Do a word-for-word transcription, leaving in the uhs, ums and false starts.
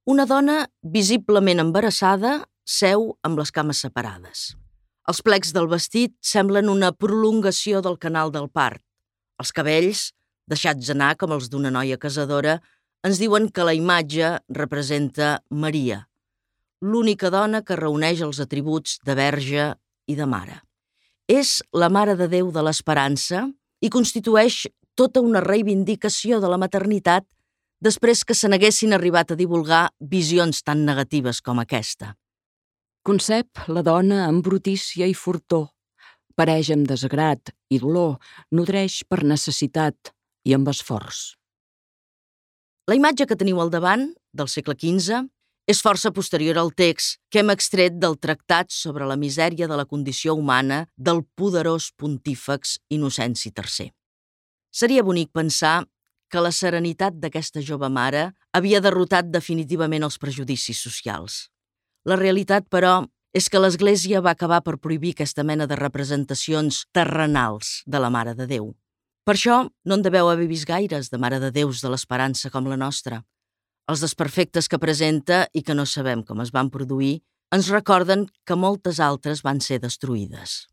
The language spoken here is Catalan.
Una dona visiblement embarassada seu amb les cames separades. Els plecs del vestit semblen una prolongació del canal del part. Els cabells, deixats anar com els d'una noia casadora, ens diuen que la imatge representa Maria, l'única dona que reuneix els atributs de verge i de mare. És la Mare de Déu de l'Esperança i constitueix tota una reivindicació de la maternitat després que se n'haguessin arribat a divulgar visions tan negatives com aquesta. Concep la dona amb brutícia i fortor, pareix amb desagrat i dolor, nodreix per necessitat i amb esforç. La imatge que teniu al davant, del segle quinze, és força posterior al text que hem extret del Tractat sobre la misèria de la condició humana del poderós pontífex Innocenci tercer. Seria bonic pensar que la serenitat d'aquesta jove mare havia derrotat definitivament els prejudicis socials. La realitat, però, és que l'Església va acabar per prohibir aquesta mena de representacions terrenals de la Mare de Déu. Per això no en deveu haver vist gaires de Mare de Déus de l'Esperança com la nostra. Els desperfectes que presenta i que no sabem com es van produir ens recorden que moltes altres van ser destruïdes.